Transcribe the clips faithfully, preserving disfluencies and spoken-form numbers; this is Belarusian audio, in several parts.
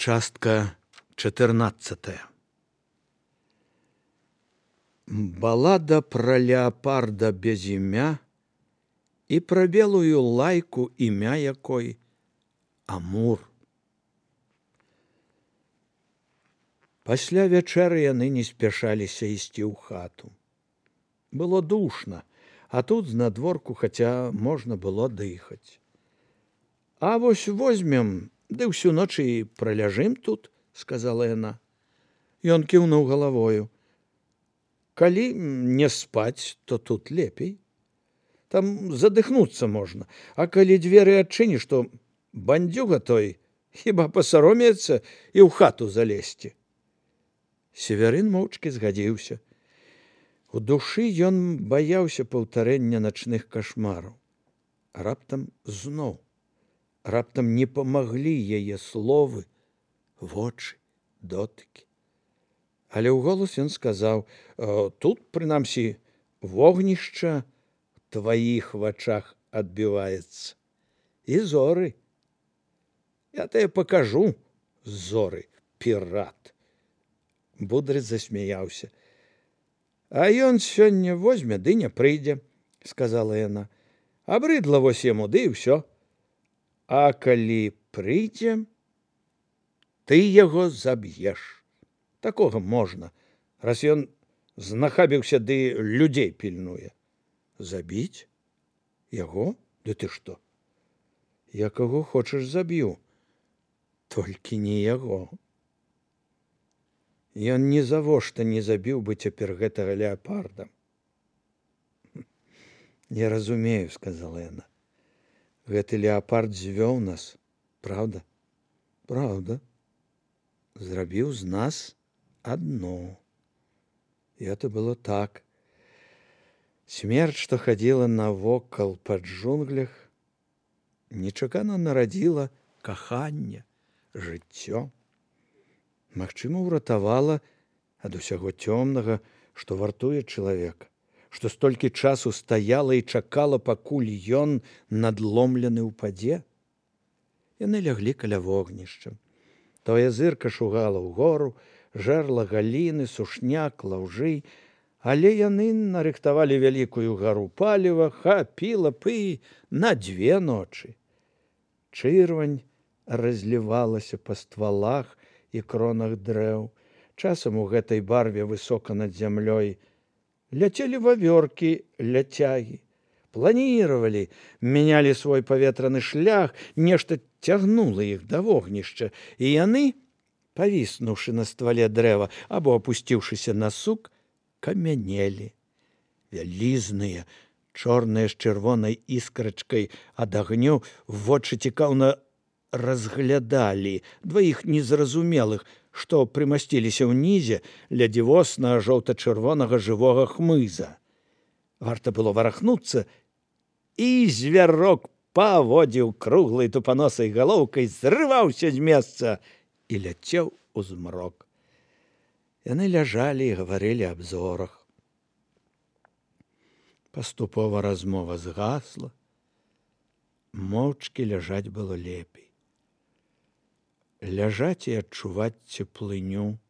Частка чатырнаццатая. Баллада про леопарда без імя і про белую лайку, імя якой Амур. Пасля вячэры яны не спяшаліся ісці ў хату. Было душна, а тут знадворку хаця можна было дыхаць. А вось возьмем, ды ўсю ноч і праляжым тут, сказала яна. Ён кіўнуў галавою. Калі не спаць, то тут лепей. Там задыхнуцца можна, а калі дзверы адчыніш, то бандзюга той хіба пасаромеецца і ў хату залезці. Северын моўчкі згадзіўся. У душы ён баяўся паўтарэння начных кашмараў. Раптам зноў. Раптам не памаглі яе словы, вочы, дотыкі. Але ў голас ён сказаў: тут, прынамсі, вогнішча ў тваіх вачах адбіваецца. І зоры. Я тебе пакажу, зоры, пірат. Будрыц засмяяўся. А ён сёння возьме, ды не прыйдзе, сказала яна. Абрыдла вось яму, ды і ўсё. А калі прыйдзе, ты яго заб'еш. Такога можна, раз ён знахабіўся, ды людзей пільнуе. Забіць? Яго? Ды ты што? Я каго хочаш заб'ю, толькі не яго. Ён ні завошта не забіў бы цяпер гэтага леапарда. Я разумею, сказала яна. Гэты леапард звёў нас, правда? Правда. Зрабіў з нас адно. І это было так. Смерць, што хадзіла навокал пад джунглях, нечакана нарадзіла каханне, жыццё. Магчыма, уратавала ад усяго цёмнага, што вартуе чалавека, што столькі часу стаяла і чакала, пакуль ён надломлены ўпадзе. Яны ляглі каля вогнішча. Тое зырка шугала ўгору, жерла галіны, сушняк, лаўжы, але яны нарыхтавалі вялікую гару паліва, хапіла пы на дзве ночы. Чырвань разлівалася па ствалах і кронах дрэў. Часам у гэтай барве высока над зямлёй ляцелі вавёркі ляцягі, планіравалі, мянялі свой паветраны шлях, нешта цягнула іх да вогнішча, і яны, павіснуўшы на ствале дрэва або апусціўшыся на сук, камянелі. Вялізныя, чорныя з чырвонай іскрачкай ад агню, вочы цікаўна разглядалі дваіх незразумелых, што прымасціліся ўнізе ля дзівоснага жоўта-чырвонага жывога хмыза. Варта было варахнуцца, і звярок паводзіў круглай тупаносай галоўкай, зрываўся з месца і ляцеў у змрок. Яны ляжалі і гаварылі аб зорах. Паступова размова згасла. Моўчкі ляжаць было лепей. Ляжаць і адчуваць цеплыню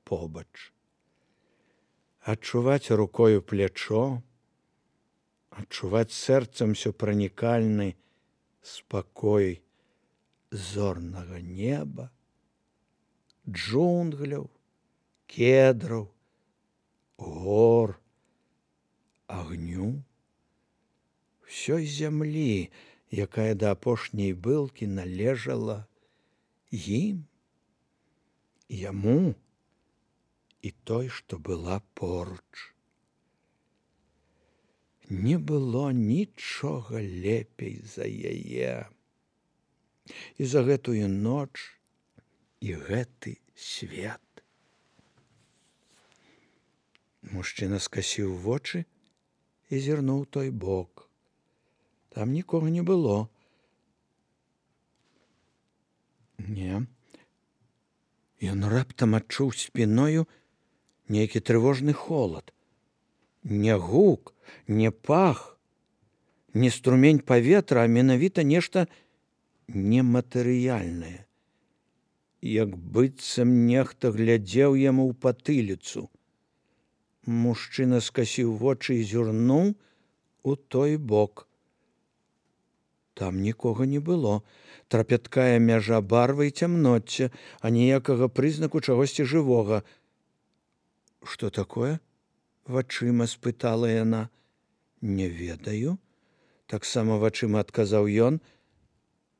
побач. Адчуваць рукою плячо, адчуваць сэрцам усёпранікальны спакой зорнага неба, джунгляў, кедраў, гор, агню, усёй зямлі, якая да апошняй былкі належала ім, яму і той, што была поруч. Не было нічога лепей за яе. І за гэтую ноч, і гэты свет. Мужчына скасіў вочы і зірнуў той бок. Там нікога не было. Не. Ён раптам адчуў спіною нейкі трывожны холад. Не гук, не пах, не струмень паветра, а менавіта нешта нематэрыяльнае. як быццам нехта глядзеў яму ў патыліцу. Мужчына скасіў вочы і зірнуў у той бок. Там нікога не было. Трапяткая мяжа барвы і цямноцця, а ніякага прызнаку чагосьці жывога. «Што такое?» – вачыма спытала яна. «Не ведаю», – таксама вачыма адказаў ён.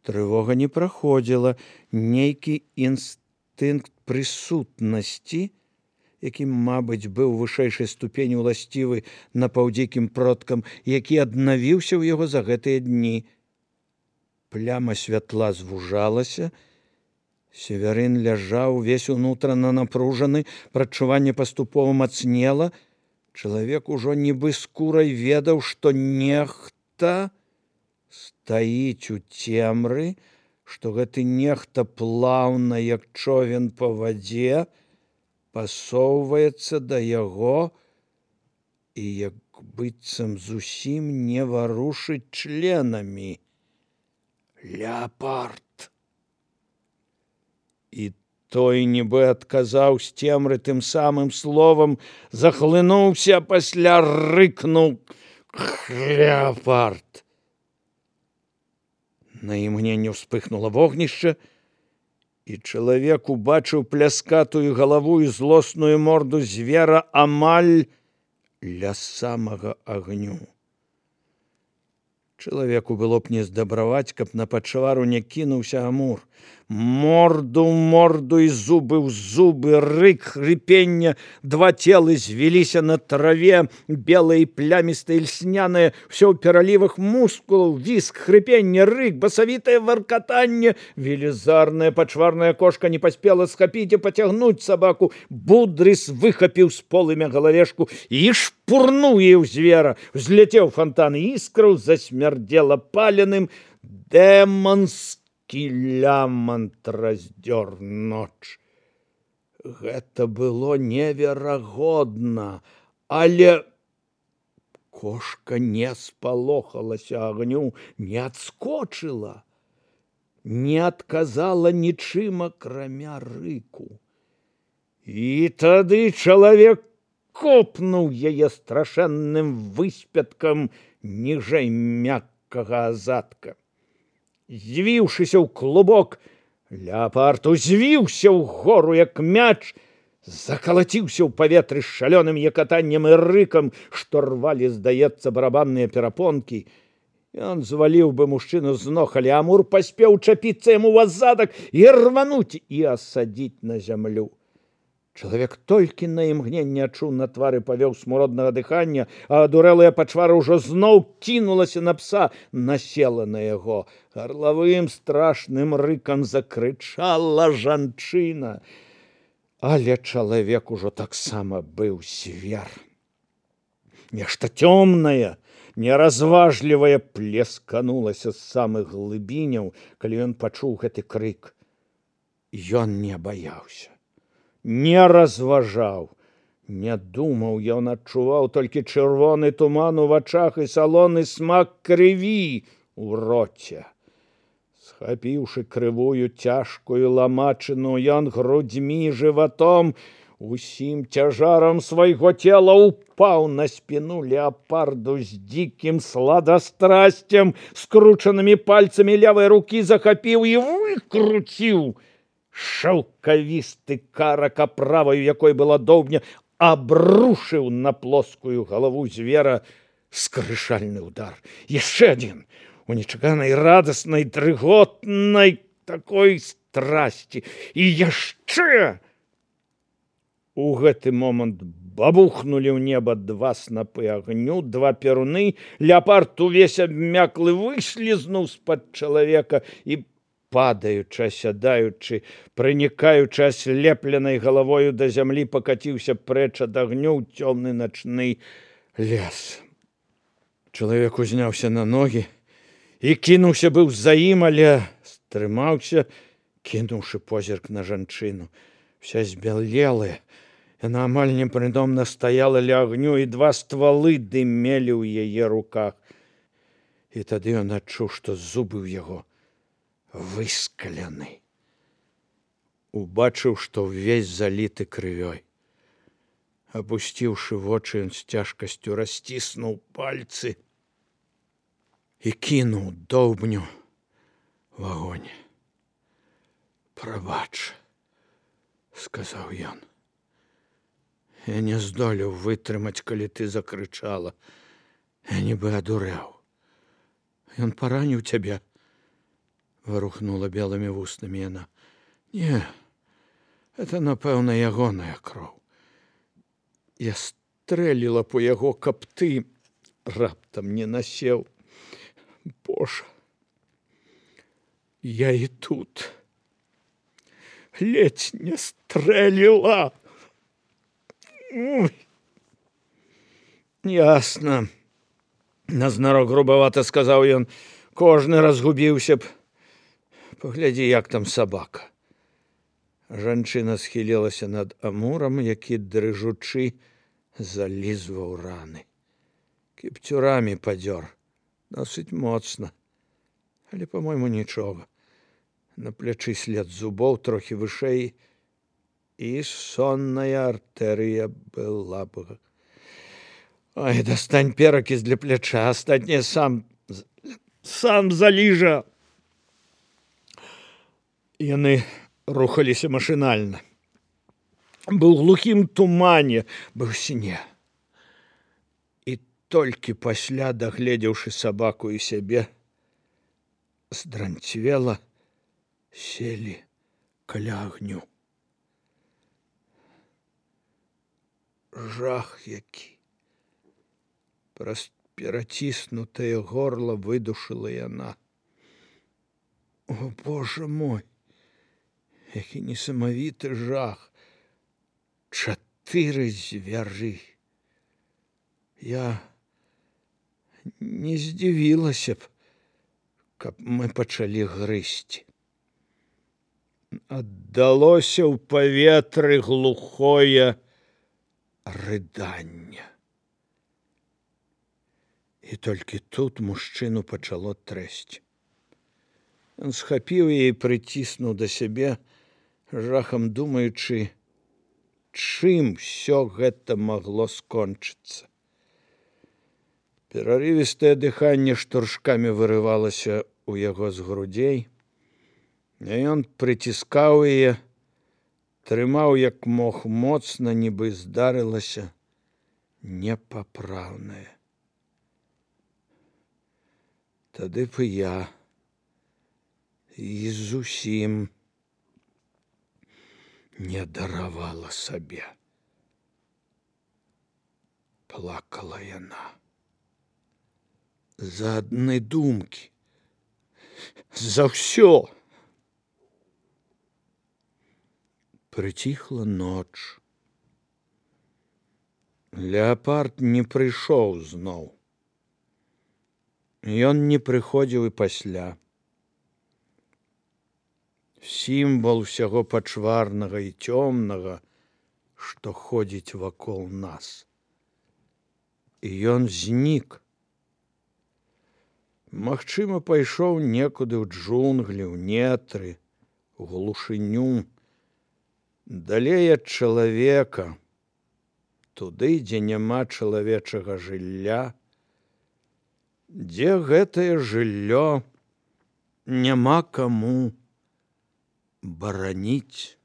Трывога не праходзіла. Нейкі інстынкт прысутнасці, які, мабыць, быў вышэйшай ступені ўласцівы напаўдзікім продкам, які аднавіўся ў яго за гэтыя дні. Пляма святла звужалася. Северын ляжаў, увесь унутрана напружаны, прадчуванне паступова мацнела. Чалавек ужо нібы скурай ведаў, што нехта стаіць у цемры, што гэты нехта плаўна, як човен па вадзе, пасоўваецца да яго і як быццам зусім не варушыць членамі. «Леапард!» І той, нібы адказаў з цемры тым самым словам, захлынуўся, пасля рыкнуў: «Леапард!» На імгненне ўспыхнула вогнішча, і чалавек убачыў пляскатую галаву і злосную морду звера амаль ля самага агню. Чалавеку было б не здабраваць, каб на пачвару не кінуўся Амур. Морду ў морду і зубы ў зубы, рык, хрыпенне, два целы звіліся на траве, белае, плямістае, льснянае, ўсё ў пералівах мускулаў, віск, хрыпенне, рык, басавітае варкатанне. Велізарная пачварная кошка не паспела схапіць і пацягнуць сабаку. Будрыс выхапіў з полымя галавешку і шпурнуў яе ў звера. Узляцеў фонтан іскраў, засмярдзела паленым. Дэманскі лямант раздзёр ноч. Гэта было неверагодна, але кошка не спалохалася агню, не адскочыла, не адказала нічым, акрамя рыку. І тады чалавек копнуў яе страшэнным выспяткам ніжэй мяккага азадка. Звіўшыся ў клубок, леапард узвіўся ўгору, як мяч, закалаціўся ў паветры з шалёным якатаннем і рыкам, што рвалі, здаецца, барабанныя перапонкі. Ён зваліў бы мужчыну з ног, але Амур паспеў чапіцца яму ў азадак і рвануць і асадзіць на зямлю. Чалавек толькі на імгненне адчуў на твары павеў смуроднага дыхання, а адурэлая пачвара ўжо зноў кінулася на пса, насела на яго. Гарлавым страшным рыкам закрычала жанчына. Але чалавек ужо таксама быў звер. Нешта цёмнае, неразважлівае плесканулася з самых глыбіняў, калі ён пачуў гэты крык. Ён не баяўся, не разважаў, не думаў, ён адчуваў толькі чырвоны туман у вачах і салоны смак крыві у роце. Схапіўшы крывую цяжкую ламачыну, ён грудзьмі, жыватом, усім цяжарам свайго цела упаў на спіну леапарду з дзікім сладастрасцем, скручанымі пальцамі левай рукі захапіў і выкруціў. Шаўкавісты карак, аправаю якой была доўбня, абрушыў на плоскую галаву звера скрышальны удар. Яшчэ адзін, у нечаканай радаснай, дрыготнай такой страсці. І яшчэ! У гэты момант бабухнулі ў неба два снапы агню, два перуны. Леапард увесь абмяклы выслізнуў з-пад чалавека і, падаючы, асядаючы, прынікаючы аслепленай галавою да зямлі, пакаціўся прэч ад агню ў цёмны начны лес. Чалавек узняўся на ногі і кінуўся быў за ім, але стрымаўся, кінуўшы позірк на жанчыну. Вся збялелая, яна амаль непрытомна стаяла ля агню, і два ствалы дымелі ў яе руках. І тады ён адчуў, што зубы ў яго выскалены. убачыў, што ўвесь заліты крывёй. Апусціўшы вочы, ён з цяжкасцю расціснуў пальцы і кінуў доўбню в агонь. «Прабач», — сказаў ён. «Я не здолеў вытрымаць, калі ты закрычала. Я нібы адурэў. Ён параніў цябе?» — варухнула белымі вуснамі яна. «Не, это, напэўна, ягоная кроў. Я стрэліла по яго, каб ты раптам не насеў. Божа, я і тут ледзь не стрэліла». Ой. «Ясна», — назнарок грубавата сказаў ён. «Кожны разгубіўся б. Паглядзі, як там сабака». Жанчына схілілася над амурам, які, дрыжучы, залізваў раны. Кіпцюрамі падзёр, досыць моцна, але, па-мойму, нічога. На плячы след зубоў, трохі вышэй, і сонная артэрыя была б. Ой, дастань перакіс для пляча, астатняе сам, сам заліжа». Яны рухаліся машынальна. Быў глухім тумане, быў сне. І толькі пасля, дагледзеўшы сабаку і сябе, здранцвела, селі каля агню. Жах які! Праз пераціснутае горла выдушыла яна. О, Божа мой! Які несамавіты жах! Чатыры звяры! Я не здзівілася б, каб мы пачалі грызці. Аддалося ў паветры глухое рыданне. І толькі тут мужчыну пачало трэсці. Ён схапіў яе і прыціснуў да сябе, жахам думаючы, чым усё гэта магло скончыцца. Перарывістае дыханне штуршкамі вырывалася ў яго з грудзей, а ён прыціскаў яе, трымаў як мог моцна, нібы здарылася непапраўнае. Тады б і я і зусім не даравала сабе. Плакала яна. За адны думкі. За ўсё. Прыціхла ноч. Леапард не прыйшоў зноў. Ён не прыходзіў і пасля. Сімвал усяго пачварнага і цёмнага, што ходзіць вакол нас. І ён знік. Магчыма, пайшоў некуды ў джунглі, ў нетры, у глушыню, далей ад чалавека, туды, дзе няма чалавечага жылля, дзе гэтае жыллё няма каму бараніць.